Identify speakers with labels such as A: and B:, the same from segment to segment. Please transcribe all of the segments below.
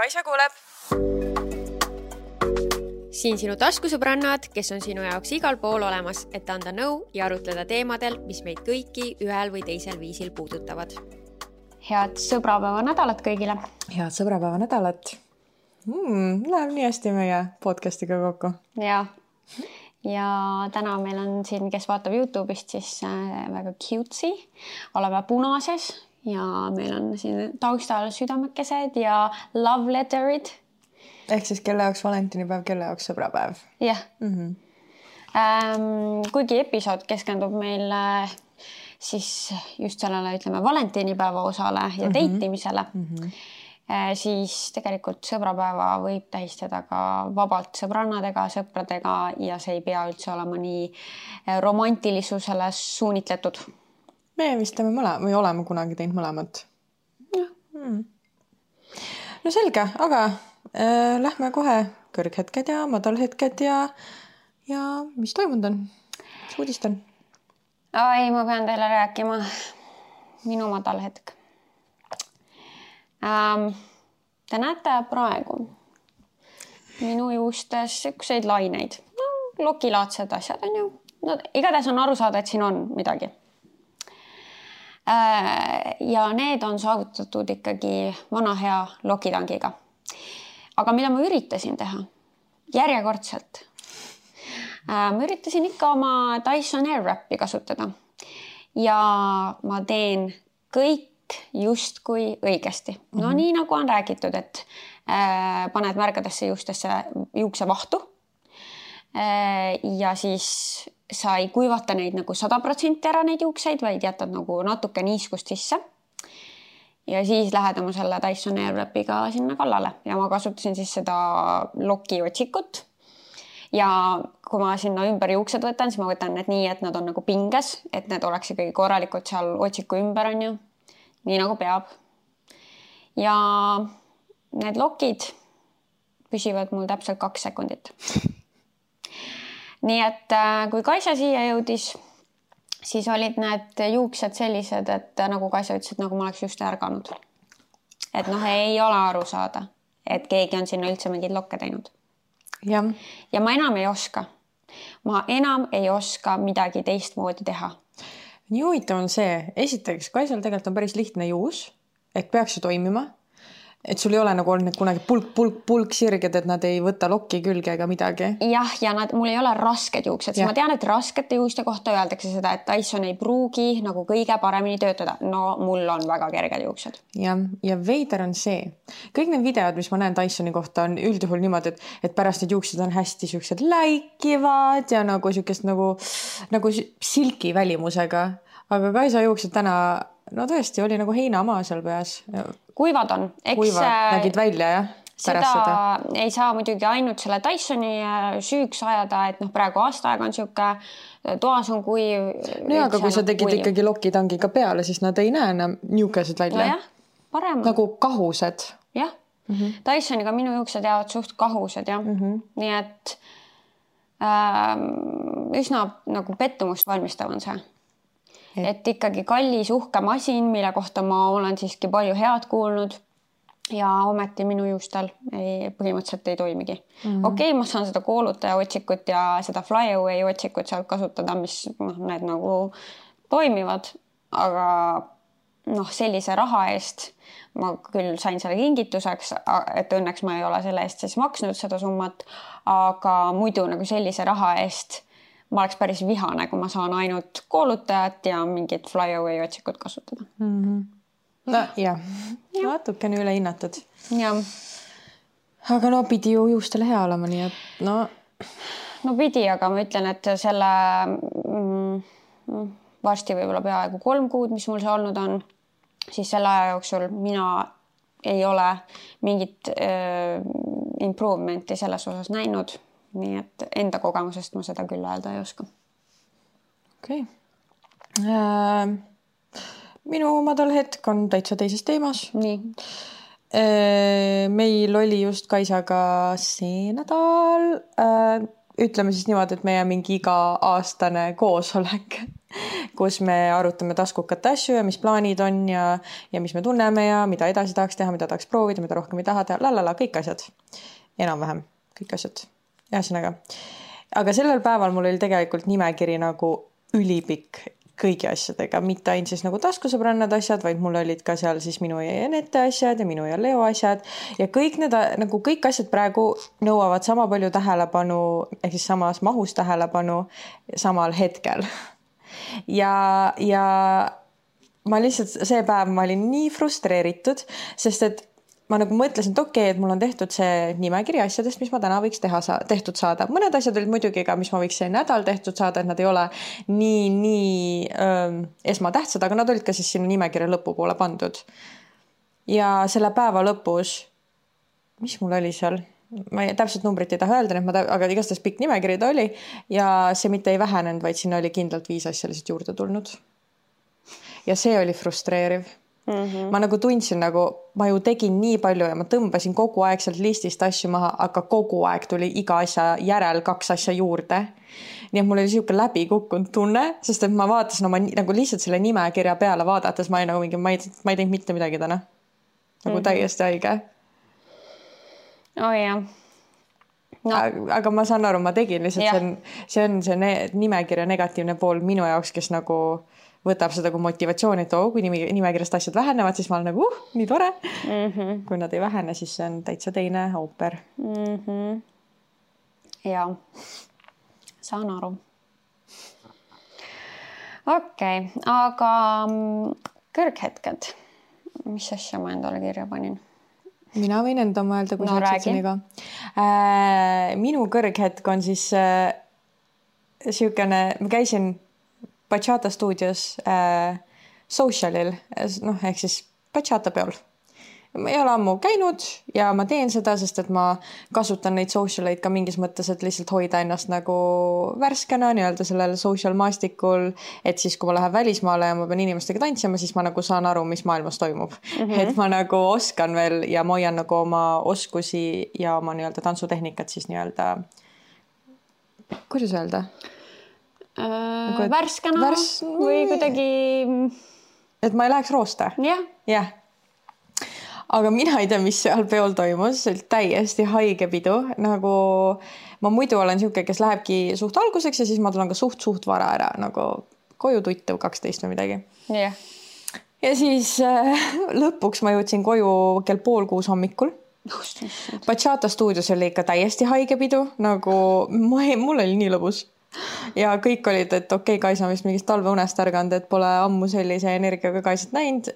A: Kaisa kuuleb.
B: Siin sinu taskusõbrannad, kes on sinu jaoks igal pool olemas, et anda nõu ja arutleda teemadel, mis meid kõiki ühel või teisel viisil puudutavad.
C: Head sõbrapäeva nädalat kõigile.
A: Head sõbrapäeva nädalat. Läheb nii hästi meie podcastiga kokku.
C: Ja täna meil on siin, kes vaatab YouTube'ist, siis väga cutesy. Oleme punases ja meil on siin taustal südamekesed ja love letterid.
A: Ehk siis kelle jaoks valentinipäev, kelle jaoks sõbrapäev.
C: Jah. Kuigi episood keskendub meil siis just sellele, ütleme, valentinipäeva osale ja deitimisele, siis tegelikult sõbrapäeva võib tähistada ka vabalt sõbrannadega, sõpradega ja see ei pea üldse olema nii romantilisusele suunitletud.
A: Me vist teeme või oleme kunagi teinud mõlemat. No selge, aga lähme kohe kõrghetked ja madalhetked ja mis toimunud on? Mis uudist on?
C: Ai, ma pean teile rääkima minu madalhetk. Te näete praegu minu juustes ükseid laineid. Lokilaadsed asjad on ju. No, igatahes on aru saada, et siin on midagi. Ja need on saavutatud ikkagi vana hea lokitangiga. Aga mida ma üritasin teha? Järjekordselt. Ma üritasin ikka oma Dyson Airwrapi kasutada. Ja ma teen kõik justkui õigesti. No nii nagu on räägitud, et paned märgadesse juukse vahtu. Ja siis sa ei kuivata neid nagu 100% ära neid juukseid, vaid jätad nagu natuke niiskust sisse. Ja siis lähed oma selle Dyson Airwrapiga sinna kallale ja ma kasutasin siis seda lokiotsikut ja kui ma sinna ümber juuksed võtan, siis ma võtan need nii, et nad on nagu pinges, et need oleks ikkagi korralikult seal otsiku ümber on ju, nii nagu peab. Ja need lokid püsivad mul täpselt 2 sekundit. Nii et kui Kaisa siia jõudis, siis olid need juuksed sellised, et nagu Kaisa ütles, et nagu ma oleks just ärganud. Et ei ole aru saada, et keegi on sinna üldse mingid lokke teinud. Ja ma enam ei oska. Ma enam ei oska midagi teistmoodi teha.
A: Nii huvitav on see, esiteks Kaisal tegelikult on päris lihtne juus, et peaks ju toimima. Et sul ei ole nagu olnud kunagi pulk sirged, et nad ei võta lokki külge ega midagi.
C: Jah, ja mul ei ole rasked juuksed. Ma tean, et raskete juuste kohta öeldakse seda, et Dyson ei pruugi nagu kõige paremini töötada. No mul on väga kerged juuksed.
A: Ja veider on see. Kõik need videod, mis ma näen Dysoni kohta, on üldjuhul niimoodi, et pärast need juuksed on hästi siuksed läikivad ja nagu siukest nagu silki välimusega. Aga Kaisa juuksed täna, no tõesti, oli nagu heinamaa seal peas.
C: Kuivad on.
A: Nägid välja, jah?
C: Seda ei saa muidugi ainult selle Dysoni süüks ajada, et praegu aastaaega on siuke, toas on kuiv.
A: No ja, aga kui sa tegid ikkagi lokitangiga peale, siis nad ei näe enam niukesed välja.
C: No jah, parem.
A: Nagu kahused.
C: Jah. Dysoniga minu juuksed jäävad suht kahused, jah. Nii et üsna nagu pettumust valmistav on see. Et ikkagi kallis uhke masin, mille kohta ma olen siiski palju head kuulnud ja ometi minu juustel põhimõtteliselt ei toimigi. Okei, ma saan seda koolutaja otsikut ja seda flyaway otsikut sealt kasutada, mis need nagu toimivad, aga sellise raha eest ma küll sain selle kingituseks, et õnneks ma ei ole selle eest siis maksnud seda summat, aga muidu nagu sellise raha eest ma oleks päris vihane, kui ma saan ainult koolutajat ja mingit flyaway otsikut kasutada.
A: No jah, natukene üle hinnatud.
C: Ja.
A: Aga pidi ju juustele hea olema, nii et
C: No pidi, aga ma ütlen, et selle varsti võib-olla peaaegu 3 kuud, mis mul see olnud on, siis selle aja jooksul mina ei ole mingit improvement'i selles osas näinud. Nii et enda kogemusest ma seda küll öelda ei oska.
A: Okei. Minu madal hetk on täitsa teises teemas.
C: Nii.
A: Meil oli just Kaisaga see nädal ütleme siis niimoodi, et meie mingi iga-aastane koosolek, kus me arutame taskukate asju ja mis plaanid on ja mis me tunneme ja mida edasi tahaks teha, mida tahaks proovida, mida rohkem ei taha teha, kõik asjad. Enam-vähem kõik asjad. Ühesõnaga. Aga sellel päeval mul oli tegelikult nimekiri nagu ülipikk kõigi asjadega, mitte ainult siis nagu taskusõbrannad asjad, vaid mul olid ka seal siis minu ja Enete asjad ja minu ja Leo asjad ja kõik need nagu kõik asjad praegu nõuavad sama palju tähelepanu ehk siis samas mahus tähelepanu samal hetkel. Ja ma lihtsalt see päev ma olin nii frustreeritud, sest et ma nagu mõtlesin, et okei, et mul on tehtud see nimekiri asjadest, mis ma täna võiks tehtud saada. Mõned asjad olid muidugi ka, mis ma võiks see nädal tehtud saada, et nad ei ole nii esmatähtsad, aga nad olid ka siis sinna nimekirja lõpupoole pandud. Ja selle päeva lõpus, mis mul oli seal? Ma täpselt numbrit ei taha öelda, aga igastahes pikk nimekiri ta oli ja see mitte ei vähenenud, vaid sinna oli kindlalt 5 asja lihtsalt juurde tulnud. Ja see oli frustreeriv. Ma nagu tundsin nagu, ma ju tegin nii palju ja ma tõmbasin kogu aeg sealt listist asju maha, aga kogu aeg tuli iga asja järel 2 asja juurde. Nii et mul oli siuke läbi kukkunud tunne, sest et ma vaatasin oma nagu lihtsalt selle nimekirja peale vaadates, ma ei nagu mingi, ma ei teinud mitte midagi täna. Nagu täiesti haige.
C: Oh jah.
A: No. Aga ma saan aru, ma tegin lihtsalt, see on nimekirja negatiivne pool minu jaoks, kes nagu võtab seda kui motivatsiooni, et kui nimekirjast asjad vähenevad, siis ma olen nagu nii tore. Kui nad ei vähene, siis see on täitsa teine ooper.
C: Ja, saan aru. Okei, aga kõrghetked. Mis asja ma endale kirja panin?
A: Mina võin enda mõelda, kui sa läksid seniga. Minu kõrghetk on siis siukene, ma käisin Bachata stuudios socialil, ehk siis Bachata peol. Ma ei ole ammu käinud ja ma teen seda, sest et ma kasutan neid socialeid ka mingis mõttes, et lihtsalt hoida ennast nagu värskena nii-öelda sellel social maastikul, et siis kui ma lähen välismaale ja ma pean inimestega tantsima, siis ma nagu saan aru, mis maailmas toimub. Et ma nagu oskan veel ja ma hoian nagu oma oskusi ja oma nii-öelda tantsutehnikat siis nii-öelda, kuidas öelda?
C: Värskena või kuidagi
A: et ma ei läheks rooste.
C: Jah.
A: Aga mina ei tea, mis seal peol toimus, see oli täiesti haige pidu, nagu ma muidu olen siuke, kes lähebki suht alguseks ja siis ma tulen ka suht vara ära, nagu koju tuttu 12 või midagi. Ja siis lõpuks ma jõudsin koju kell 5:30 hommikul. Bachata stuudios oli ikka täiesti haige pidu, nagu mul oli nii lõbus. Ja kõik olid, et okei, Kaisa on vist mingist talveunest ärganud, et pole ammu sellise energiaga Kaisat näinud.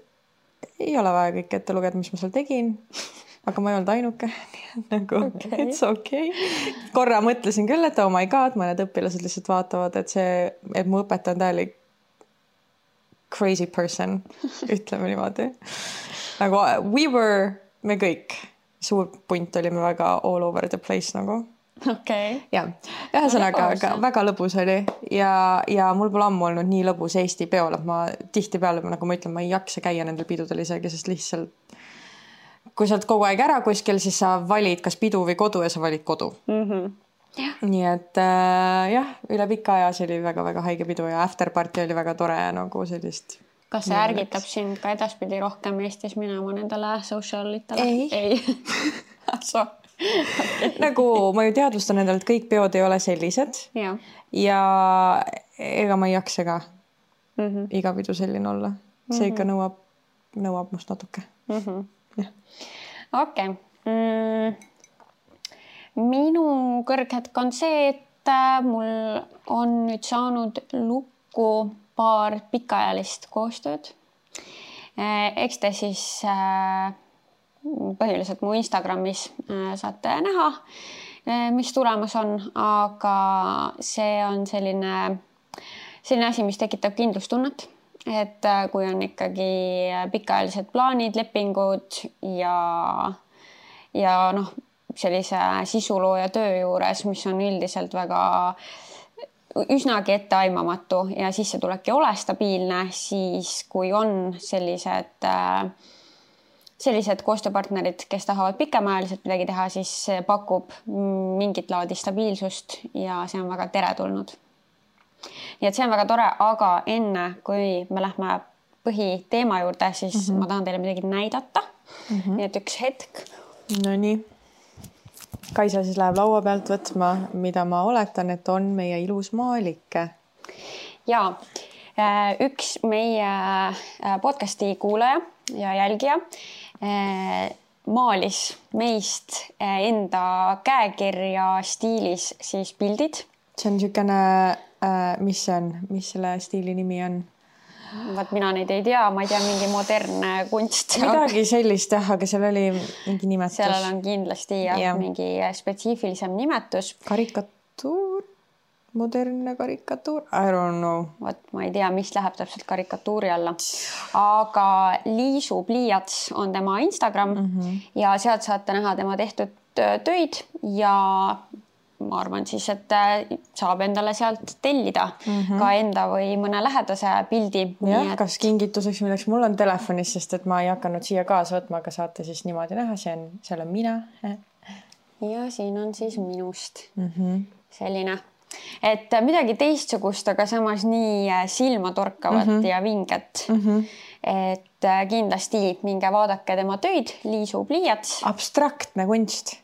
A: Ei ole vaja kõik ette lugeda, mis ma seal tegin. Aga ma ei olnud ainuke. Nagu, it's okay. Korra mõtlesin küll, et oh my god, mõned õpilased lihtsalt vaatavad, et mu õpetaja on täielik crazy person, ütleme niimoodi. Nagu me kõik, suur punt olime väga all over the place nagu.
C: Okay.
A: Ja, ühesõnaga väga lõbus oli ja mul pole ammu olnud nii lõbus Eesti peol, et ma tihti peale, nagu ma ütlen, ma ei jaksa käia nendel pidudel isegi, sest lihtsalt kui sa oled kogu aeg ära kuskil, siis sa valid kas pidu või kodu ja sa valid kodu. Nii et üle pika aja see oli väga-väga haige pidu ja afterparty oli väga tore ja nagu sellist.
C: Kas see ärgitab sind ka edaspidi rohkem Eestis minema nendele socialitele?
A: Ei. Nagu ma ju teadvustan endale, et kõik peod ei ole sellised ja ega ma ei jaksa ka iga pidu selline olla. See ikka nõuab must natuke.
C: Okei. Minu kõrghetk on see, et mul on nüüd saanud lukku paar pikaajalist koostööd. Eks te siis põhiliselt mu Instagramis saate näha, mis tulemas on, aga see on selline asi, mis tekitab kindlustunnet, et kui on ikkagi pikaajalised plaanid, lepingud ja sellise sisulooja töö juures, mis on üldiselt väga üsnagi etteaimamatu ja sissetulek ei ole stabiilne, siis kui on sellised sellised koostööpartnerid, kes tahavad pikemaajaliselt midagi teha, siis pakub mingit laadi stabiilsust ja see on väga teretulnud. Nii et see on väga tore, aga enne kui me lähme põhiteema juurde, siis ma tahan teile midagi näidata. Nii et üks hetk.
A: No nii. Kaisa siis läheb laua pealt võtma, mida ma oletan, et on meie ilus maalike.
C: Ja üks meie podcasti kuulaja ja jälgija maalis meist enda käekirja stiilis siis pildid.
A: See on niisugune, mis see on? Mis selle stiili nimi on?
C: Vaat mina neid ei tea, ma ei tea, mingi modernne kunst.
A: Midagi sellist, aga seal oli mingi nimetus.
C: Sellel on kindlasti mingi spetsiifilisem nimetus.
A: Karikatuur, modernne karikatuur, I don't know.
C: Vaat ma ei tea, mis läheb täpselt karikatuuri alla. Aga Liisu pliiats on tema Instagram ja sealt saate näha tema tehtud töid ja ma arvan siis, et saab endale sealt tellida ka enda või mõne lähedase pildi.
A: Jah, kas kingituseks milleks? Mul on telefonis, sest et ma ei hakanud siia kaasa võtma, aga saate siis niimoodi näha. Seal on mina.
C: Ja siin on siis minust selline, et midagi teistsugust, aga samas nii silma torkavat ja vinget. Et kindlasti minge vaadake tema töid, Liisu pliiats.
A: Abstraktne kunst.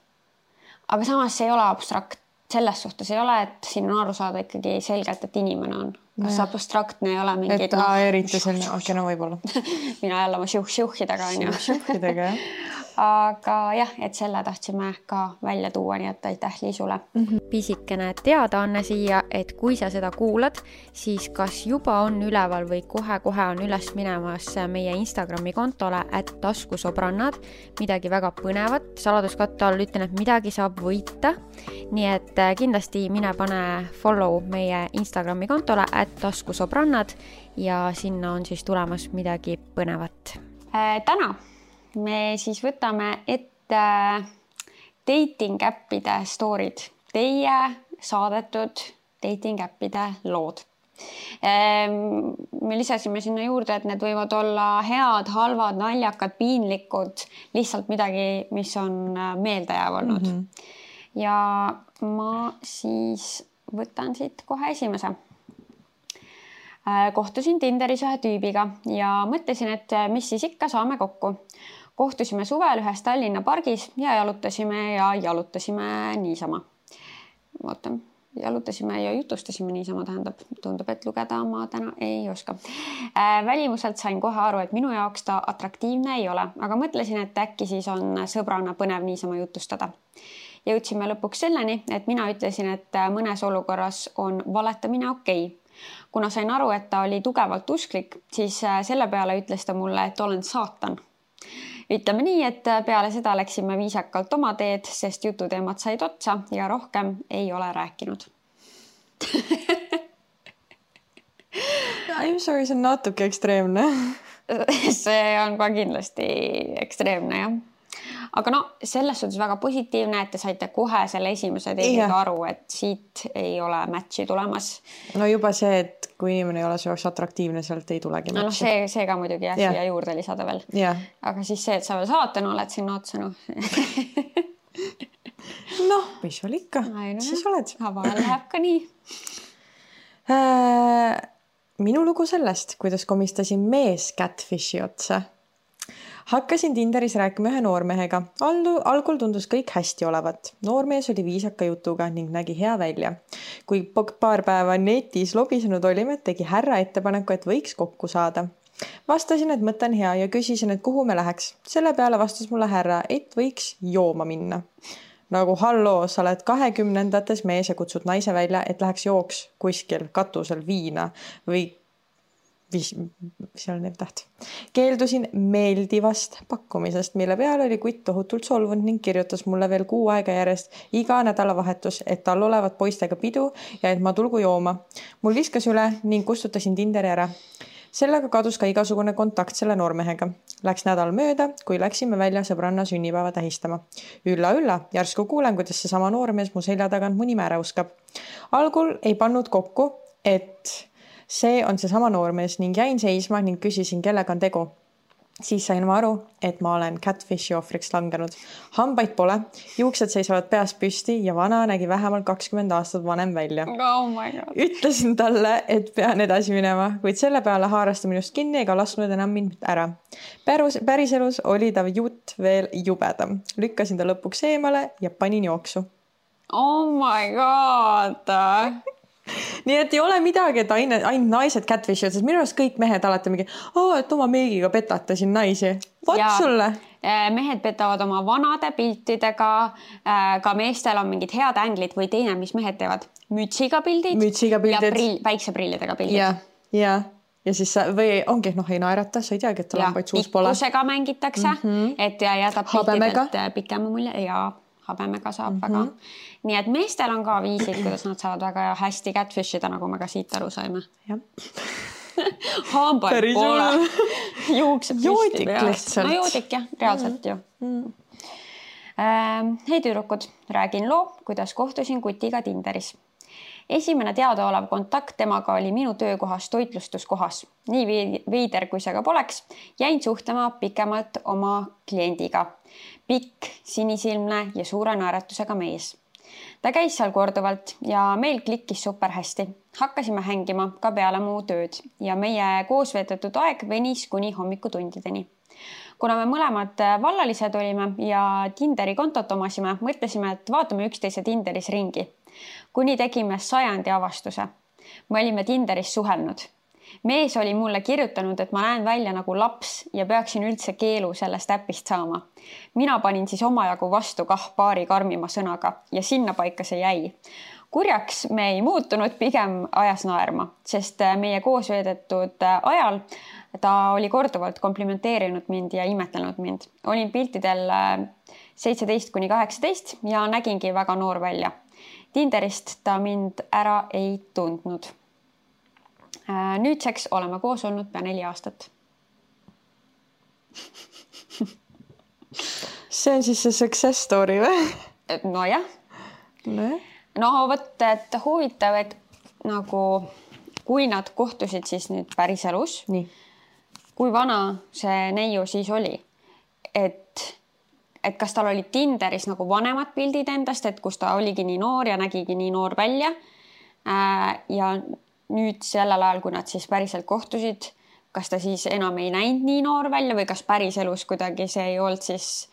C: Aga samas see ei ole abstrakt. Selles suhtes ei ole, et siin on aru saada ikkagi selgelt, et inimene on. Kas abstraktne ei ole mingid...
A: Et eriti selline, okei, no võib-olla.
C: Mina jälle oma šiuhidega on ju.
A: Šiuhidega, jah.
C: Aga jah, et selle tahtsime ka välja tuua, nii et aitäh Liisule.
B: Pisikene teadaanne siia, et kui sa seda kuulad, siis kas juba on üleval või kohe on üles minemas meie Instagrami kontole @taskusobrannad, midagi väga põnevat. Saladuskatte all ütlen, et midagi saab võita. Nii et kindlasti mine pane follow meie Instagrami kontole @taskusobrannad ja sinna on siis tulemas midagi põnevat.
C: Täna me siis võtame ette dating-äppide storid, teie saadetud dating-äppide lood. Me lisasime sinna juurde, et need võivad olla head, halvad, naljakad, piinlikud, lihtsalt midagi, mis on meeldejääv olnud. Ja ma siis võtan siit kohe esimese. Kohtusin Tinderis ühe tüübiga ja mõtlesin, et mis siis ikka saame kokku. Kohtusime suvel ühes Tallinna pargis ja jalutasime niisama. Jalutasime ja jutustasime niisama, tähendab, tundub, et lugeda ma täna ei oska. Välimuselt sain kohe aru, et minu jaoks ta atraktiivne ei ole, aga mõtlesin, et äkki siis on sõbrana põnev niisama jutustada. Jõudsime lõpuks selleni, et mina ütlesin, et mõnes olukorras on valetamine okei. Kuna sain aru, et ta oli tugevalt usklik, siis selle peale ütles ta mulle, et olen saatan. Ütleme nii, et peale seda läksime viisakalt oma teed, sest jututeemad said otsa ja rohkem ei ole rääkinud.
A: I'm sorry, see on natuke ekstreemne.
C: See on ka kindlasti ekstreemne, jah. Aga no, selles suhtes väga positiivne, et te saite kohe selle esimese teiega aru, et siit ei ole matchi tulemas.
A: No juba see, et kui inimene ei ole see atraktiivne, sealt ei tulegi matchi.
C: No see ka muidugi siia juurde lisada veel. Aga siis see, et sa veel saatan oled sinna otsa,
A: noh, mis sul ikka, siis oled.
C: Vahel läheb ka nii.
A: Minu lugu sellest, kuidas komistasin mees catfishi otsa. Hakkasin Tinderis rääkima ühe noormehega. Algul tundus kõik hästi olevat. Noormees oli viisaka jutuga ning nägi hea välja. Kui paar päeva netis lobisenud olime, tegi härra ettepaneku, et võiks kokku saada. Vastasin, et mõte on hea ja küsisin, et kuhu me läheks. Selle peale vastas mulle härra, et võiks jooma minna. Nagu halloo, sa oled 20-ndates mees ja kutsud naise välja, et läheks jooks kuskil katusel viina või seal on täht. Keeldusin meeldivast pakkumisest, mille peale oli kutt tohutult solvunud ning kirjutas mulle veel 6 aega järjest iga nädalavahetus, et tal olevat poistega pidu ja et ma tulgu jooma. Mul viskas üle ning kustutasin Tinderi ära. Sellega kadus ka igasugune kontakt selle noormehega. Läks nädal mööda, kui läksime välja sõbranna sünnipäeva tähistama. Ülla, järsku kuulen, kuidas see sama noormees mu selja tagant mu nime ära uskab. Algul ei pannud kokku, et see on see sama noormees ning jäin seisma ning küsisin, kellega on tegu. Siis sain ma aru, et ma olen catfishi ohvriks langenud. Hambaid pole, juuksed seisavad peas püsti ja vana nägi vähemalt 20 aastat vanem välja.
C: Oh my God.
A: Ütlesin talle, et pean edasi minema, kuid selle peale haaras ta minust kinni ega lasknud enam mind ära. Päriselus oli ta jutt veel jubedam. Lükkasin ta lõpuks eemale ja panin jooksu.
C: Oh my God.
A: Nii et ei ole midagi, et ainult naised catfish, sest minu arust kõik mehed alati mingi, et oma meigiga petate siin naisi. Vot sulle.
C: Mehed petavad oma vanade piltidega, ka meestel on mingid head änglid või teine, mis mehed teevad. Mütsiga pildid ja päikseprillidega pildid.
A: Ja siis või ongi, ei naerata, sa ei teagi, et tal hambaid suus pole.
C: Pikkusega mängitakse, et jätab piltidelt pikema mulje ja habemega saab väga. Nii et meestel on ka viisid, kuidas nad saavad väga hästi catfishida, nagu me ka siit aru saime. Hambaid pole. Juuksed püsti peas. No joodik jah, reaalselt ju. Hei tüdrukud, räägin loo, kuidas kohtusin kutiga Tinderis. Esimene teadaolev kontakt temaga oli minu töökohas toitlustuskohas. Nii veider, kui see ka poleks, jäin suhtlema pikemalt oma kliendiga. Pikk, sinisilmne ja suure naeratusega mees. Ta käis seal korduvalt ja meil klikkis super hästi. Hakkasime hängima ka peale muu tööd ja meie koos veedetud aeg venis kuni hommikutundideni. Kuna me mõlemad vallalised olime ja Tinderi kontot omasime, mõtlesime, et vaatame üksteise Tinderis ringi. Kuni tegime 100. avastuse. Me olime Tinderis suhelnud. Mees oli mulle kirjutanud, et ma näen välja nagu laps ja peaksin üldse keelu sellest äpist saama. Mina panin siis omajagu vastu paari karmima sõnaga ja sinna paika see jäi. Kurjaks me ei muutunud, pigem ajas naerma, sest meie koos veedetud ajal ta oli korduvalt komplimenteerinud mind ja imetlenud mind. Olin piltidel 17–18 ja nägingi väga noor välja. Tinderist ta mind ära ei tundnud. Nüüdseks oleme koos olnud pea 4 aastat.
A: See on siis see success story või?
C: No jah. No võt, et huvitav, et nagu kui nad kohtusid siis nüüd päriselus, kui vana see neiu siis oli, et kas tal oli Tinderis nagu vanemad pildid endast, et kus ta oligi nii noor ja nägigi nii noor välja ja nüüd sellel ajal, kui nad siis päriselt kohtusid, kas ta siis enam ei näinud nii noor välja või kas päriselus kuidagi see ei olnud siis,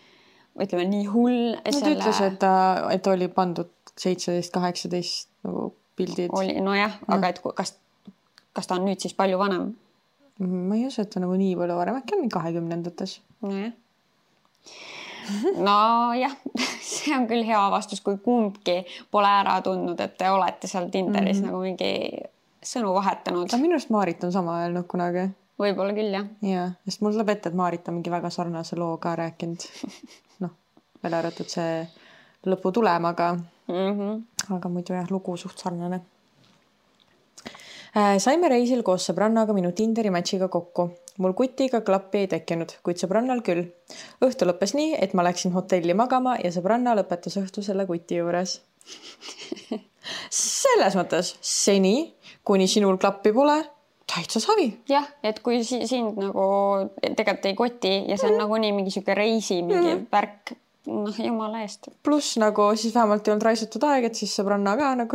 C: ütleme, nii hull?
A: Nad ütles, et oli pandud 17-18 nagu pildid.
C: Nojah, aga et kas ta on nüüd siis palju vanem?
A: Ma ei usu, et ta nagu nii palju varem, äkki on 20-ndates.
C: Nojah, see on küll hea vastus, kui kumbki pole ära tundnud, et te olete seal Tinderis nagu mingi sõnu vahetanud.
A: Minu arust Maarit on sama öelnud kunagi.
C: Võib-olla küll, jah.
A: Ja, sest mul tuleb ette, et Maarit on mingi väga sarnase loo ka rääkinud. Veel arvatud see lõpu tulemaga. Aga muidu jah, lugu suht sarnane. Saime reisil koos sõbrannaga minu Tinderi matchiga kokku. Mul kutiga klappi ei tekkinud, kuid sõbrannal küll. Õhtu lõppes nii, et ma läksin hotelli magama ja sõbranna lõpetas õhtu selle kuti juures. Selles mõttes seni, kuni sinul klappi pole, täitsa savi.
C: Jah, et kui sind nagu tegelikult ei koti ja see on nagu nii mingi siuke reisi, mingi värk, jumala eest.
A: Plus nagu siis vähemalt ei olnud raisatud aeg, et siis sõbranna ka nagu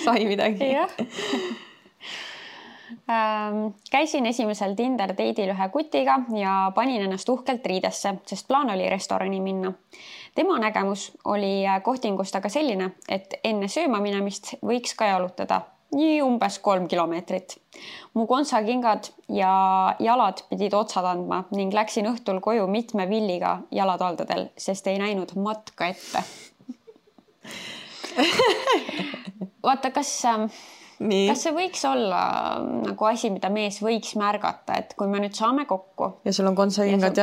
A: sai midagi.
C: Käisin esimesel Tinder date'il ühe kutiga ja panin ennast uhkelt riidesse, sest plaan oli restorani minna. Tema nägemus oli kohtingust aga selline, et enne sööma minemist võiks ka jalutada nii umbes 3 kilomeetrit. Mu kontsakingad ja jalad pidid otsad andma ning läksin õhtul koju mitme villiga jalataldadel, sest ei näinud matka ette. Vaata, kas see võiks olla nagu asi, mida mees võiks märgata, et kui me nüüd saame kokku
A: ja sul on kontsakingad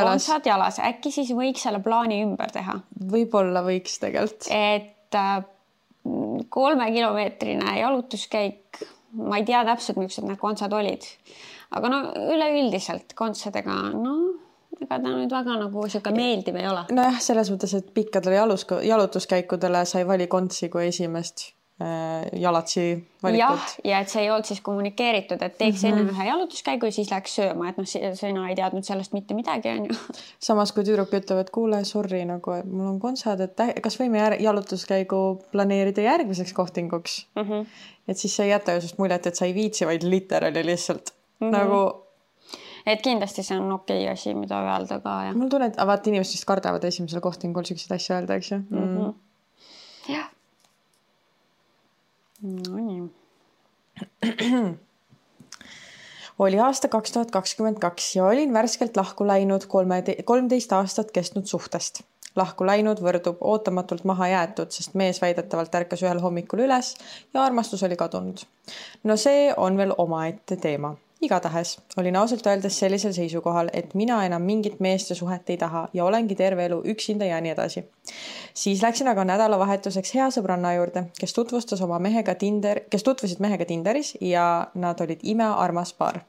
A: jalas,
C: äkki siis võiks selle plaani ümber teha?
A: Võib-olla võiks tegelikult.
C: Et 3-kilomeetrine jalutuskäik, ma ei tea täpselt, millised need kontsad olid, aga üleüldiselt kontsadega, ega ta nüüd väga nagu siuke meeldiv ei ole.
A: Nojah, selles mõttes, et pikkadele jalutuskäikudele sa ei vali kontsi kui esimest. jalatsi valikut.
C: Ja et see ei olnud siis kommunikeeritud, et teeks enne ühe jalutuskäigu ja siis läheks sööma, et sina ei teadnud sellest mitte midagi, on ju.
A: Samas kui tüdruk ütleb, et kuule, sorry, nagu, et mul on kontsad, et kas võime jalutuskäigu planeerida järgmiseks kohtinguks? Et siis sa ei jäta ju sest muljet, et sa ei viitsi, vaid literaali lihtsalt nagu...
C: Et kindlasti see on okei asi, mida öelda ka. Ja.
A: Mul tunnen, et vaata inimesed vist kardavad esimesel kohtingul selliseid asju öelda, eks ju?
C: Jah. No nii.
A: Oli aasta 2022 ja olin värskelt lahku läinud 13 aastat kestnud suhtest. Lahku läinud võrdub ootamatult maha jäetud, sest mees väidetavalt ärkas ühel hommikul üles ja armastus oli kadunud. No see on veel omaette teema. Igatahes olin ausalt öeldes sellisel seisukohal, et mina enam mingit meeste suhet ei taha ja olengi terve elu üksinda ja nii edasi. Siis läksin aga nädalavahetuseks hea sõbranna juurde, kes tutvusid mehega Tinderis ja nad olid imearmas paar.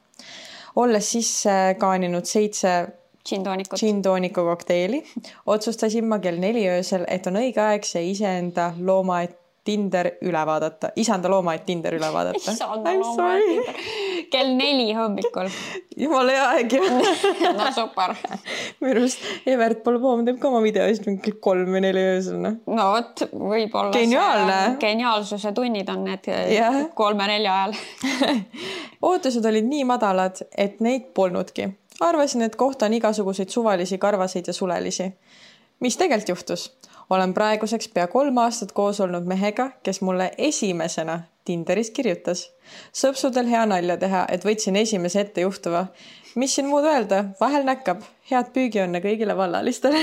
A: Olles sisse kaaninud 7 džintooniku kokteili, otsustasin ma kell 4 öösel, et on õige aeg see isanda loomaaed Tinder üle vaadata. Isanda loomaaed Tinder üle vaadata.
C: Isanda loomaaed Tinder. Kell 4 hommikul.
A: Jumala hea aeg ju.
C: No super.
A: Mirust Evert Polboom teeb ka oma videoist kell 3 või 4 öösel.
C: No vot, võib-olla
A: geniaalne.
C: Geniaalsuse tunnid on need 3-4 ajal.
A: Ootused olid nii madalad, et neid polnudki. Arvasin, et kohtan igasuguseid suvalisi karvaseid ja sulelisi. Mis tegelikult juhtus? Olen praeguseks pea 3 aastat koos olnud mehega, kes mulle esimesena Tinderis kirjutas. Sõpsudel hea nalja teha, et võtsin esimese ette juhtuva. Mis siin muud öelda? Vahel näkkab. Head püügiõnne kõigile vallalistele.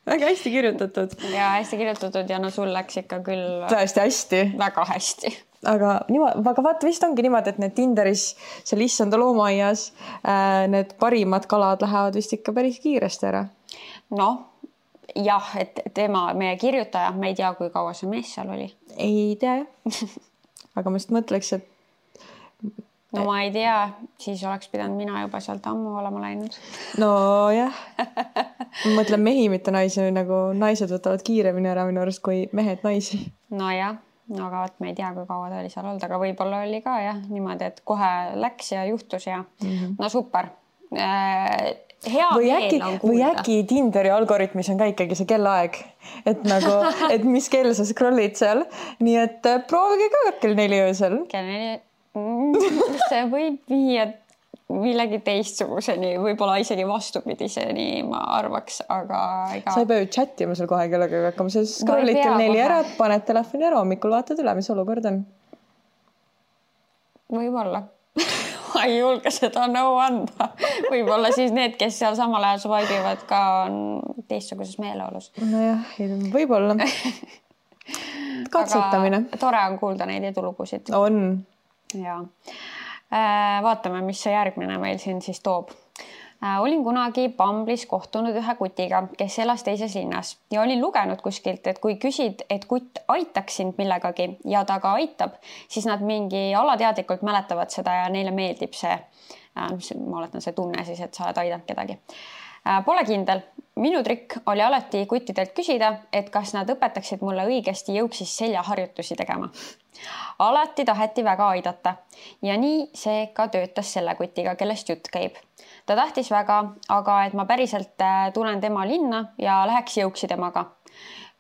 A: Väga hästi kirjutatud.
C: Ja hästi kirjutatud ja no sul läks ikka küll
A: tõesti hästi.
C: Väga hästi.
A: Aga vaata vist ongi niimoodi, et need Tinderis seal issanda loomaaias need parimad kalad lähevad vist ikka päris kiiresti ära.
C: Noh, jah, et meie kirjutaja, me ei tea, kui kaua see mees seal oli.
A: Ei tea. Aga ma just mõtleks, et...
C: No ma ei tea, siis oleks pidanud mina juba sealt ammu olema läinud.
A: No jah. Ma mõtlen mehi, mitte naisi, nagu naised võtavad kiiremini ära minu arust kui mehed naisi.
C: No jah, aga me ei tea, kui kaua ta oli seal olnud, aga võib-olla oli ka jah, niimoodi, et kohe läks ja juhtus ja no super. Hea meel on kuulda.
A: Või äkki Tinderi algoritmis on ka ikkagi see kellaaeg, et nagu, et mis kell sa scrollid seal, nii et proovige ka kell 4 öösel.
C: Kell 4, see võib viia millegi teistsuguseni, võib-olla isegi vastupidiseni, ma arvaks, aga
A: sa ei pea ju chatima seal kohe kellega hakkama, sa scrollid kell 4 ära, paned telefoni ära, hommikul vaatad üle, mis olukord on.
C: Võib-olla. Ma ei julge seda nõu anda. Võib-olla siis need, kes seal samal ajal swipe'ivad ka on teistsuguses meeleolus.
A: Nojah, võib-olla. Katsetamine.
C: Aga tore on kuulda neid edulugusid.
A: On.
C: Ja. Vaatame, mis see järgmine meil siin siis toob. Olin kunagi Bumble'is kohtunud ühe kutiga, kes elas teises linnas ja olin lugenud kuskilt, et kui küsid, et kutt aitaks sind millegagi ja ta ka aitab, siis nad mingi alateadlikult mäletavad seda ja neile meeldib see, ma oletan see tunne siis, et sa oled aidanud kedagi. Pole kindel. Minu trikk oli alati kuttidelt küsida, et kas nad õpetaksid mulle õigesti jõuksis seljaharjutusi tegema. Alati taheti väga aidata ja nii see ka töötas selle kutiga, kellest jutt käib. Ta tahtis väga, aga et ma päriselt tulen tema linna ja läheks jõuksi temaga.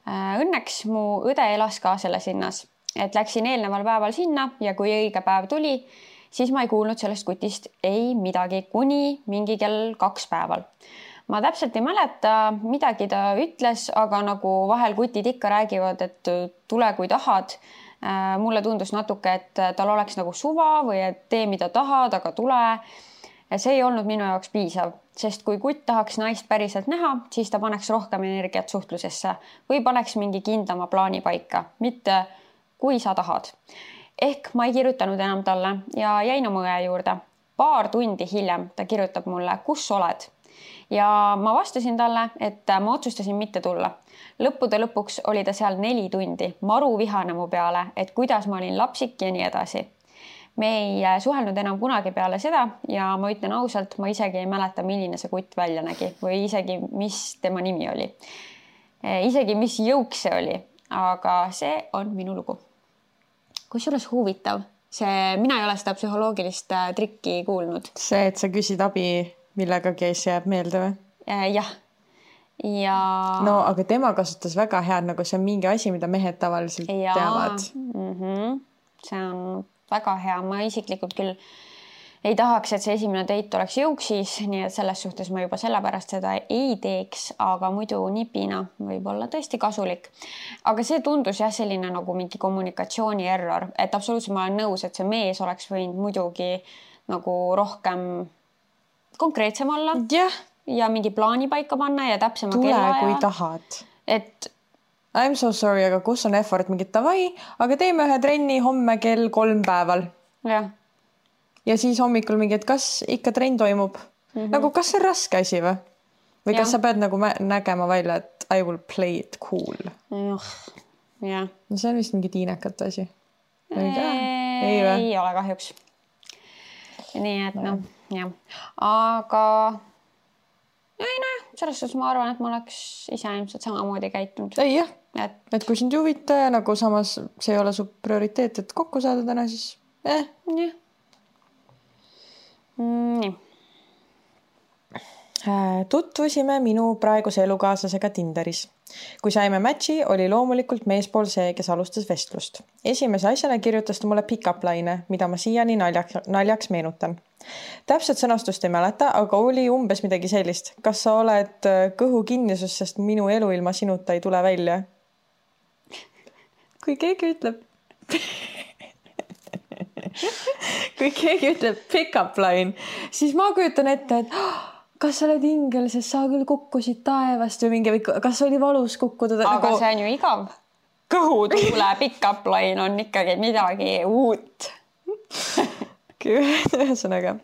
C: Õnneks mu õde elas ka selles linnas, et läksin eelneval päeval sinna ja kui õige päev tuli, siis ma ei kuulnud sellest kutist ei midagi kuni mingi kell 2 päeval. Ma täpselt ei mäleta, midagi ta ütles, aga nagu vahel kutid ikka räägivad, et tule kui tahad. Mulle tundus natuke, et tal oleks nagu suva või et tee mida tahad, aga tule. See ei olnud minu jaoks piisav, sest kui kutt tahaks naist päriselt näha, siis ta paneks rohkem energiat suhtlusesse või paneks mingi kindlama plaani paika, mitte kui sa tahad. Ehk ma ei kirjutanud enam talle ja jäin oma õe juurde. Paar tundi hiljem ta kirjutab mulle, kus oled? Ja ma vastasin talle, et ma otsustasin mitte tulla. Lõppude lõpuks oli ta seal 4 tundi, maru vihane mu peale, et kuidas ma olin lapsik ja nii edasi. Me ei suhelnud enam kunagi peale seda ja ma ütlen ausalt, ma isegi ei mäleta, milline see kutt välja nägi või isegi, mis tema nimi oli. Isegi, mis jõuk see oli, aga see on minu lugu. kusjuures huvitav, mina ei ole seda psühholoogilist trikki kuulnud.
A: See, et sa küsid abi millegagi, see jääb meelde või?
C: Jah. Ja...
A: No, aga tema kasutas väga head, nagu see on mingi asi, mida mehed tavaliselt teavad.
C: See on väga hea. Ma isiklikult küll ei tahaks, et see esimene date oleks jõuksis, nii et selles suhtes ma juba sellepärast seda ei teeks, aga muidu nipina võib olla tõesti kasulik. Aga see tundus jah selline nagu mingi kommunikatsiooni error, et absoluutselt ma olen nõus, et see mees oleks võinud muidugi nagu rohkem konkreetsem olla ja mingi plaani paika panna ja täpsema
A: kellaja. Tule, kui tahad.
C: Et
A: I'm so sorry, aga kus on effort mingit davai, aga teeme ühe trenni homme kell 3 päeval.
C: Jah.
A: Ja siis hommikul mingi, et kas ikka trenn toimub? Nagu kas see on raske asi või? Või kas sa pead nagu nägema välja, et I will play it cool?
C: Jah.
A: No see on vist mingi tiinekat asi.
C: Ei ole kahjuks. Nii et noh, jah. Aga selles suhtes ma arvan, et ma oleks ise ilmselt samamoodi käitunud.
A: Ei jah, et kui sind juvita ja nagu samas see ei ole su prioriteet, et kokku saada täna, siis
C: jah. Nii.
A: Tutvusime minu praeguse elukaaslasega Tinderis. Kui saime matchi, oli loomulikult meespool see, kes alustas vestlust. Esimese asjana kirjutas ta mulle pick-up line, mida ma siiani naljaks meenutan. Täpselt sõnastust ei mäleta, aga oli umbes midagi sellist. Kas sa oled kõhu kinnisus, sest minu elu ilma sinuta ei tule välja? Kui keegi ütleb pick-up line, siis ma kujutan ette, et kas sa oled ingel, sest sa küll kukkusid taevast või mingi, või kas oli valus kukkuda?
C: Aga see on ju igav.
A: Kõhud.
C: Kuule, pick-up line on ikkagi midagi uut.
A: Ühesõnaga,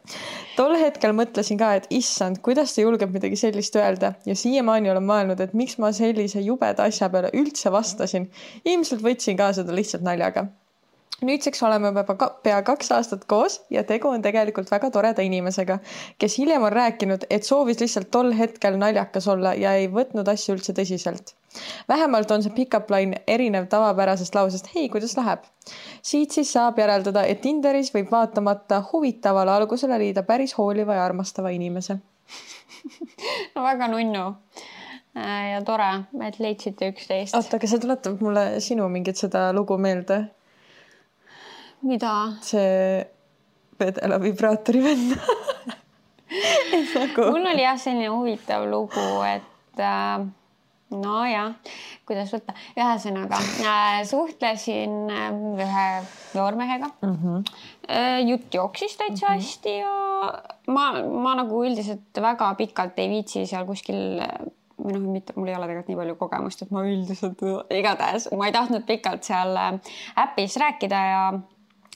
A: tol hetkel mõtlesin ka, et issand, kuidas ta julgeb midagi sellist öelda ja siiamaani olen mõelnud, et miks ma sellise jubeda asja peale üldse vastasin. Ilmselt võtsin ka seda lihtsalt naljaga. Nüüdseks oleme pea 2 aastat koos ja tegu on tegelikult väga toreda inimesega, kes hiljem on rääkinud, et soovis lihtsalt tol hetkel naljakas olla ja ei võtnud asju üldse tõsiselt. Vähemalt on see pick-up line erinev tavapärasest lausest, hei, kuidas läheb? Siit siis saab järeldada, et Tinderis võib vaatamata huvitavale algusele liida päris hooliva ja armastava inimese.
C: No väga nunnu ja tore, et leidsite üksteist.
A: Oota, aga see tuletab mulle sinu mingit seda lugu meelde.
C: Mida?
A: See vedela vibraatori venna.
C: Mul oli jah selline huvitav lugu, et no jah, kuidas võtta. Ühesõnaga, suhtlesin ühe noormehega. Jutt jooksis täitsa hästi ja ma nagu üldiselt väga pikalt ei viitsi seal kuskil või mul ei ole tegelikult nii palju kogemust, et ma üldiselt igatahes ma ei tahtnud pikalt seal äppis rääkida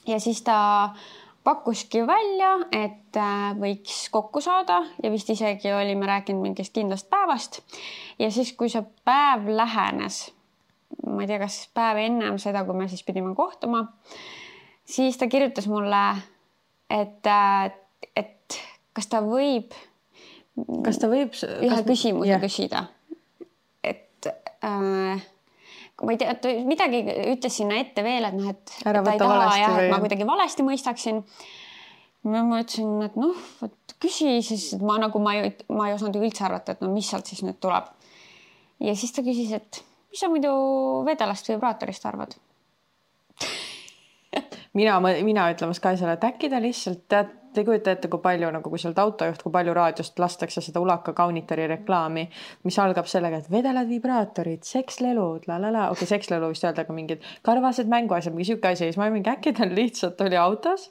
C: ja siis ta pakkuski välja, et võiks kokku saada ja vist isegi olime rääkinud mingist kindlast päevast. Ja siis, kui see päev lähenes, ma ei tea, kas päev ennem seda, kui me siis pidime kohtuma, siis ta kirjutas mulle, et kas ta võib ühe küsimuse küsida. Et ma ei tea, midagi ütles sinna ette veel, et ta ei taha et ma kuidagi valesti mõistaksin. Ma ütlesin, et küsi, siis ma ei osanud üldse arvata, et mis sealt siis nüüd tuleb. Ja siis ta küsis, et mis sa muidu vedelast vibraatorist arvad?
A: Mina ütlemas ka selle, et äkki ta lihtsalt te kujuta ette, kui palju, nagu kui sealt autojuht, kui palju raadiost lastakse seda Ulaka kaunitari reklaami, mis algab sellega, et vedelad vibraatorid, sekslelud, okei, sekslelu vist öelda ka mingid karvased mänguasjad, mingi siuke asi, siis ma mingi äkki ta lihtsalt oli autos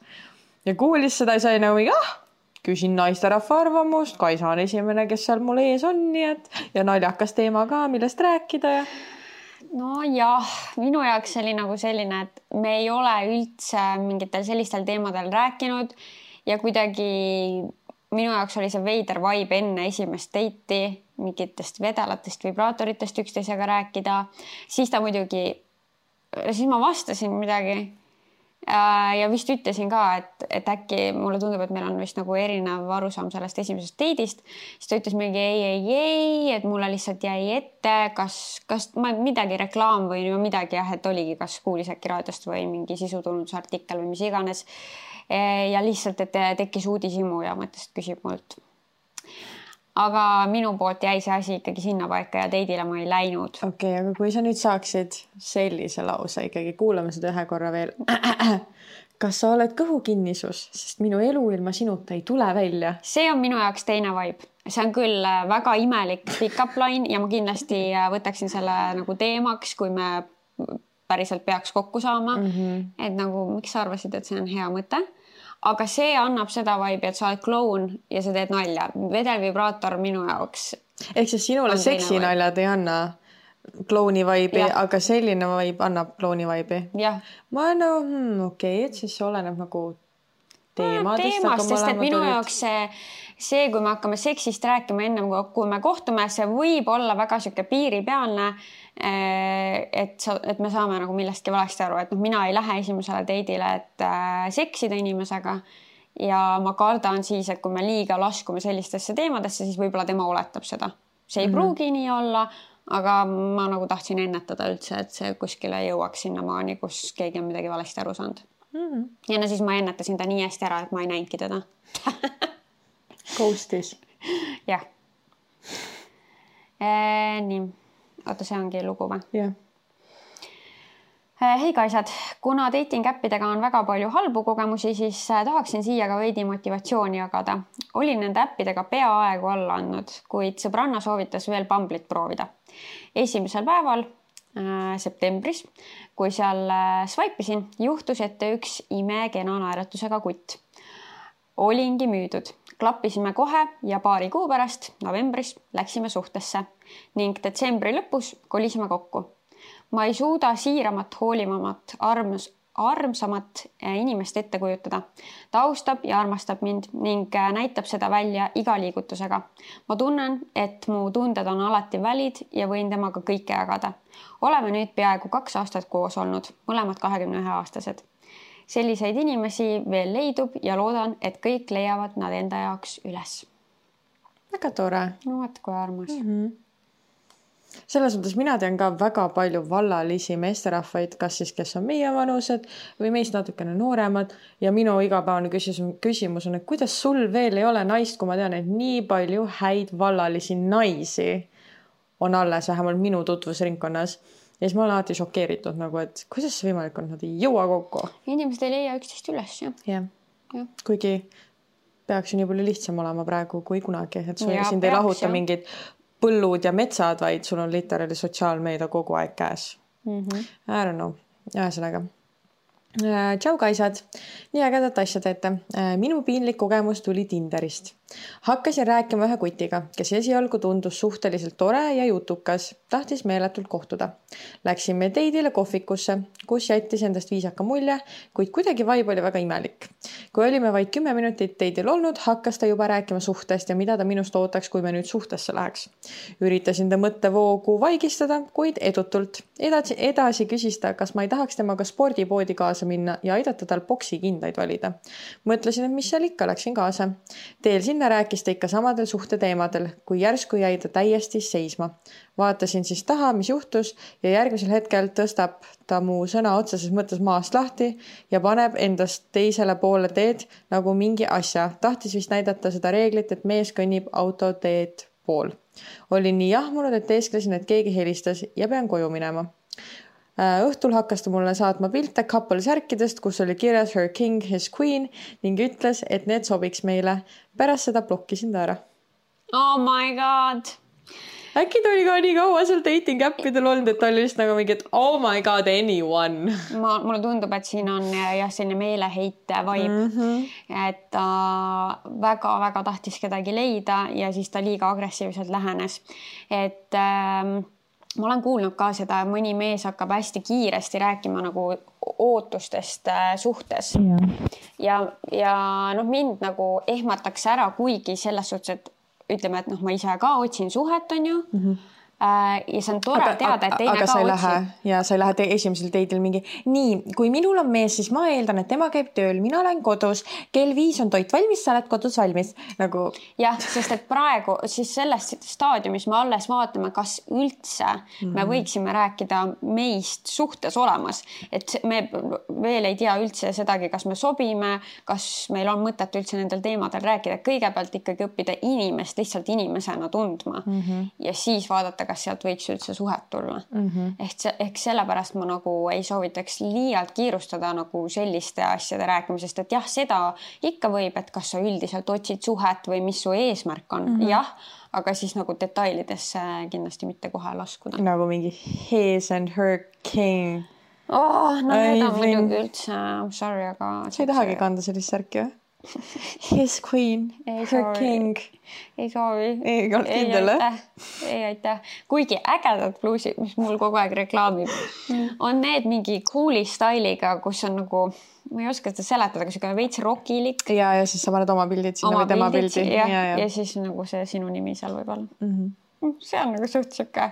A: ja kuulis seda ja sai nagu mingi, küsin naisterahva arvamust, Kaisa on esimene, kes seal mul ees on, nii et ja naljakas teema ka, millest rääkida ja
C: no jah, minu jaoks oli nagu selline, et me ei ole üldse mingitel sellistel teemadel rääkinud ja kuidagi minu jaoks oli see veider vibe enne esimest date'i, mingitest vedelatest, vibraatoritest üksteisega rääkida. Siis ta muidugi, siis ma vastasin midagi, Ja vist ütlesin ka, et äkki mulle tundub, et meil on vist nagu erinev arusaam sellest esimesest date'ist. Siis ta ütles mingi ei, et mulle lihtsalt jäi ette, kas ma midagi reklaam või midagi jah, et oligi, kas kuulis äkki raadiost või mingi sisutulundusartikkel või mis iganes. Ja lihtsalt, et tekkis uudishimu ja mõttes, et küsib mult. Aga minu poolt jäi see asi ikkagi sinna paika ja date'ile ma ei läinud.
A: Okei, aga kui sa nüüd saaksid sellise lause ikkagi, kuulame seda ühe korra veel. Kas sa oled kõhukinnisus, sest minu elu ilma sinuta ei tule välja?
C: See on minu jaoks teine vibe. See on küll väga imelik pick-up line ja ma kindlasti võtaksin selle nagu teemaks, kui me päriselt peaks kokku saama. Et nagu, miks sa arvasid, et see on hea mõte? Aga see annab seda vibe, et sa oled kloun ja sa teed nalja. Vedelvibraator minu jaoks.
A: Ehk siis sinule seksinaljad ei anna klouni vibe'i, aga selline vibe annab klouni vibe'i.
C: Jah.
A: Ma okei, et siis oleneb nagu teemadest.
C: Sest et minu jaoks see, kui me hakkame seksist rääkima enne, kui me kohtume, see võib olla väga siuke piiripealne, et me saame nagu millestki valesti aru, et mina ei lähe esimesele date'ile, et seksida inimesega ja ma kardan siis, et kui me liiga laskume sellistesse teemadesse, siis võib-olla tema oletab seda. See ei pruugi nii olla, aga ma nagu tahtsin ennetada üldse, et see kuskile jõuaks sinna maani, kus keegi on midagi valesti aru saanud. Ja siis ma ennetasin ta nii hästi ära, et ma ei näinudki teda.
A: Ghostis.
C: Jah. Nii. Oota, see ongi lugu või?
A: Jah.
C: Hei kaisad, kuna dating appidega on väga palju halbu kogemusi, siis tahaksin siia ka veidi motivatsiooni jagada. Olin nende appidega peaaegu alla andnud, kuid sõbranna soovitas veel Bumble'it proovida. Esimesel päeval, septembris, kui seal swipe'isin, juhtus ette üks imekena naeratusega kutt. Olingi müüdud. Klappisime kohe ja paari kuu pärast, novembris, läksime suhtesse ning detsembri lõpus kolisime kokku. Ma ei suuda siiramat, hoolimamat, armsamat inimest ette kujutada. Ta austab ja armastab mind ning näitab seda välja iga liigutusega. Ma tunnen, et mu tunded on alati valid ja võin temaga kõike jagada. Oleme nüüd peaaegu 2 aastat koos olnud, mõlemad 21-aastased. Selliseid inimesi veel leidub ja loodan, et kõik leiavad nad enda jaoks üles.
A: Väga tore.
C: No vaat kui armas.
A: Selles mõttes mina tean ka väga palju vallalisi meesterahvaid, kas siis, kes on meie vanused või meist natukene nooremad ja minu igapäevane küsimus on, et kuidas sul veel ei ole naist, kui ma tean, et nii palju häid vallalisi naisi on alles vähemalt minu tutvusringkonnas. Ja siis ma olen alati šokeeritud, nagu, et kuidas see võimalik on, nad ei jõua kokku.
C: Inimesed ei leia üksteist üles, jah.
A: Ja. Kuigi peaks ju nii palju lihtsam olema praegu kui kunagi, et sind ei lahuta mingid põllud ja metsad, vaid sul on literally sotsiaalmeedia kogu aeg käes. I don't know. Ühesõnaga. Tšau kaisad, nii ägedat asja teete. Minu piinlik kogemus tuli Tinderist. Hakkasin rääkima ühe kutiga, kes esialgu tundus suhteliselt tore ja jutukas, tahtis meeletult kohtuda. Läksime date'ile kohvikusse, kus jättis endast viisaka mulje, kuid kuidagi vibe oli väga imelik. Kui olime vaid 10 minutit date'il olnud, hakkas ta juba rääkima suhtest ja mida ta minust ootaks, kui me nüüd suhtesse läheks. Üritasin ta mõttevoogu vaigistada, kuid edutult. Edasi küsis ta, kas ma ei tahaks temaga spordipoodi kaasa minna ja aidata tal boksikindaid valida. Mõtlesin, et mis seal ikka, läksin kaasa. Teel sinna rääkis ta ikka samadel suhteteemadel, kui järsku jäi ta täiesti seisma. Vaatasin siis taha, mis juhtus ja järgmisel hetkel tõstab ta mu sõna otseses mõttes maast lahti ja paneb endast teisele poole teed nagu mingi asja. Tahtis vist näidata seda reeglit, et mees kõnnib autoteed pool. Olin nii jahmunud, et teesklesin, et keegi helistas ja pean koju minema. Õhtul hakkas ta mulle saatma pilte couple särkidest, kus oli kirjas her king, his queen ning ütles, et need sobiks meile. Pärast seda blokkisin ta ära.
C: Oh my god!
A: Äkki ta oli ka nii kaua seal dating appidel olnud, et ta oli vist nagu mingi, et oh my god, anyone.
C: Mulle tundub, et siin on jah selline meeleheite vibe, et ta väga-väga tahtis kedagi leida ja siis ta liiga agressiivselt lähenes. Et ma olen kuulnud ka seda, mõni mees hakkab hästi kiiresti rääkima nagu ootustest suhtes. Ja mind nagu ehmatakse ära, kuigi selles suhtes, et ütleme, et ma ise ka otsin suhet, on ju. ja see on tore teada, et teine
A: aga
C: ka
A: sa ei
C: otsib.
A: lähe ja sa ei lähe esimesel teidil mingi nii, kui minul on mees, siis ma eeldan, et tema käib tööl, mina olen kodus, kell 5 on toit valmis, sa oled kodus valmis nagu.
C: Jah, sest et praegu siis selles staadiumis me alles vaatame, kas üldse me võiksime rääkida meist suhtes olemas, et me veel ei tea üldse sedagi, kas me sobime, kas meil on mõtet üldse nendel teemadel rääkida, kõigepealt ikkagi õppida inimest lihtsalt inimesena tundma ja siis vaadata, kas sealt võiks üldse suhet tulla. Ehk sellepärast ma nagu ei soovitaks liialt kiirustada nagu selliste asjade rääkimisest, et jah, seda ikka võib, et kas sa üldiselt otsid suhet või mis su eesmärk on. Jah, aga siis nagu detailidesse kindlasti mitte kohe laskuda.
A: Nagu mingi his and her king.
C: No need on muidugi üldse, I'm sorry, aga...
A: Sa ei tahagi kanda sellist särki, või? His queen, her king.
C: Ei soovi.
A: Ei olnud kindel,
C: Ei aitäh. Kuigi ägedad bluusid, mis mul kogu aeg reklaamib, on need mingi cool'i styliga, kus on nagu, ma ei oska seda seletada, kui see veits rokilik.
A: Ja siis sa paned oma pildid sinna või tema pildi.
C: Ja siis nagu see sinu nimi seal võib olla. See on nagu suht siuke,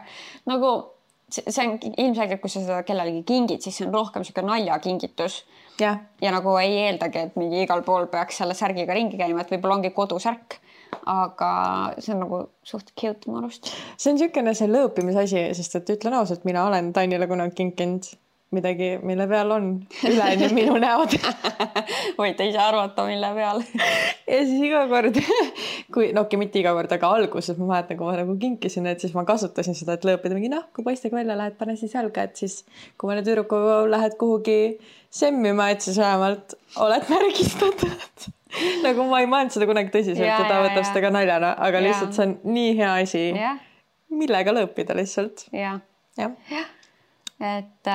C: nagu see on ilmselgelt, kui sa seda kellelegi kingid, siis see on rohkem siuke naljakingitus. Ja nagu ei eeldagi, et mingi igal pool peaks selle särgiga ringi käima, et võib-olla ongi kodusärk, aga see on nagu suht cute mu arust.
A: See on siukene see lõõpimisasi, sest et ütlen ausalt, mina olen Tanile kunagi kinkinud midagi, mille peal on üleni minu näod.
C: Võite ise arvata, mille peal.
A: Ja siis iga kord, mitte iga kord, aga alguses ma mäletan, kui ma nagu kinkisin, et siis ma kasutasin seda, et lõõpida mingi, kui poistega välja lähed, pane siis jalga, et siis kui mõne tüdrukuga lähed kuhugi semmima, et siis vähemalt oled märgistatud. Nagu ma ei mõelnud seda kunagi tõsiselt, et ta võtab seda ka naljana, aga lihtsalt see on nii hea asi, millega lõõpida lihtsalt.
C: Ja. Et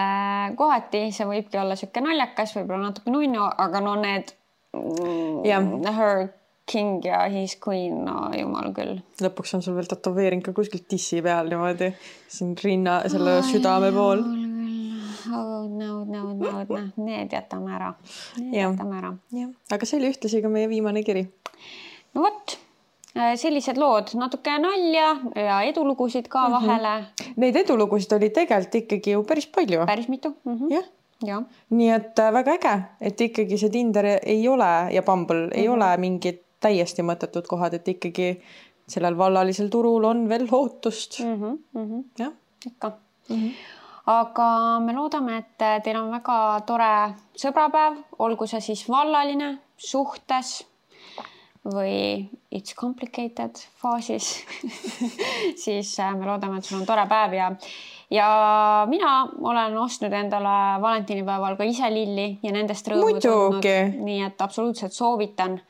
C: kohati see võibki olla siuke naljakas, võib-olla natuke nunnu, aga no need her king ja his queen, no jumal küll.
A: Lõpuks on sul veel tätoveering ka kuskilt tissi peal niimoodi, siin rinna, selle südame pool.
C: Need jätame ära.
A: Aga see oli ühtlasi ka meie viimane kiri.
C: No võt. Sellised lood, natuke nalja ja edulugusid ka vahele.
A: Neid edulugusid oli tegelikult ikkagi ju päris palju.
C: Päris mitu. Ja.
A: Nii et väga äge, et ikkagi see Tinder ei ole ja Bumble ei ole mingid täiesti mõttetud kohad, et ikkagi sellel vallalisel turul on veel lootust.
C: Ja. Ikka. Aga me loodame, et teil on väga tore sõbrapäev, olgu see siis vallaline, suhtes või it's complicated faasis, siis me loodame, et sul on tore päev ja mina olen ostnud endale valentinipäeval ka ise lilli ja nendest rõõmu tundnud. Nii et absoluutselt soovitan,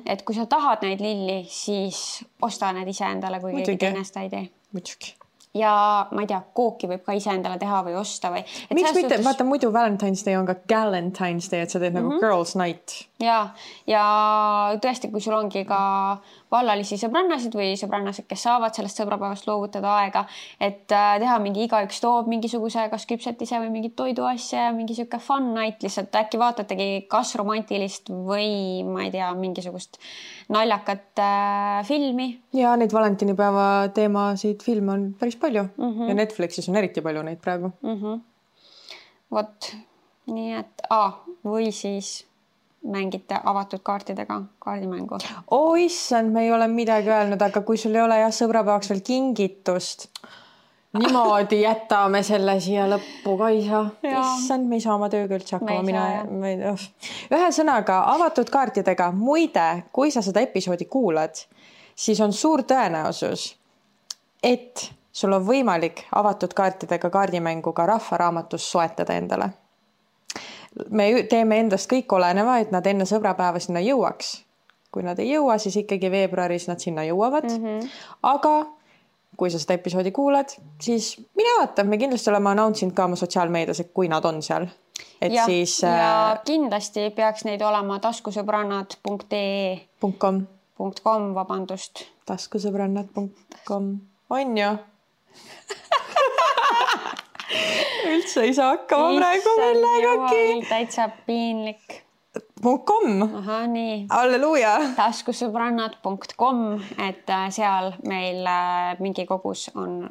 C: et kui sa tahad neid lilli, siis osta need ise endale, kui keegi teine seda ei tee.
A: Muidugi.
C: Ja ma ei tea, kooki võib ka ise endale teha või osta või...
A: Miks mitte? Vaata, muidu Valentine's Day on ka Galentine's Day, et sa teed nagu girls night.
C: Ja tõesti, kui sul ongi ka vallalisi sõbrannasid või sõbrannasid, kes saavad sellest sõbrapäevast loovutada aega, et teha mingi igaüks toob mingisuguse kas küpsetise või mingit toiduasja ja mingi siuke fun night lihtsalt. Äkki vaatategi kas romantilist või ma ei tea, mingisugust naljakat filmi. Ja
A: neid valentinipäeva teemasid filme on päris palju ja Netflixis on eriti palju neid praegu.
C: Vot, nii et või siis mängite avatud kaartidega kaardimängu.
A: Issand, me ei ole midagi öelnud, aga kui sul ei ole sõbrapäevaks veel kingitust, niimoodi jätame selle siia lõppu, Kaisa. Issand, me ei saa oma tööga üldse hakkama. Ühesõnaga, avatud kaartidega. Muide, kui sa seda episoodi kuulad, siis on suur tõenäosus, et sul on võimalik avatud kaartidega kaardimängu ka rahvaraamatus soetada endale. Me teeme endast kõik oleneva, et nad enne sõbrapäeva sinna jõuaks. Kui nad ei jõua, siis ikkagi veebruaris nad sinna jõuavad. Aga kui sa seda episoodi kuulad, siis mine vaata, me kindlasti oleme announcinud ka oma sotsiaalmeedias, et kui nad on seal. Et
C: ja,
A: siis,
C: ja kindlasti peaks neid olema taskusõbrannad.com, vabandust.
A: Taskusõbrannad.com on ju? Üldse ei saa hakkama praegu millegagi.
C: Täitsa piinlik.
A: .com.
C: Aha, nii.
A: Halleluuja.
C: Taskusõbrannad.com, et seal meil mingi kogus on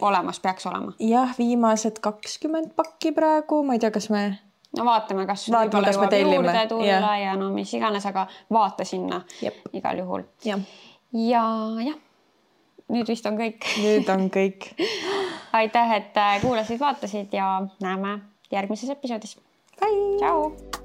C: olemas, peaks olema.
A: Jah, viimased 20 pakki praegu, ma ei tea, kas me...
C: No vaatame, kas võib-olla jõuab juurde tulla ja no mis iganes, aga vaata sinna igal juhul. Ja nüüd vist on kõik.
A: Nüüd on kõik.
C: Aitäh, et kuulasid, vaatasid ja näeme järgmises episoodis.
A: Bye!
C: Ciao!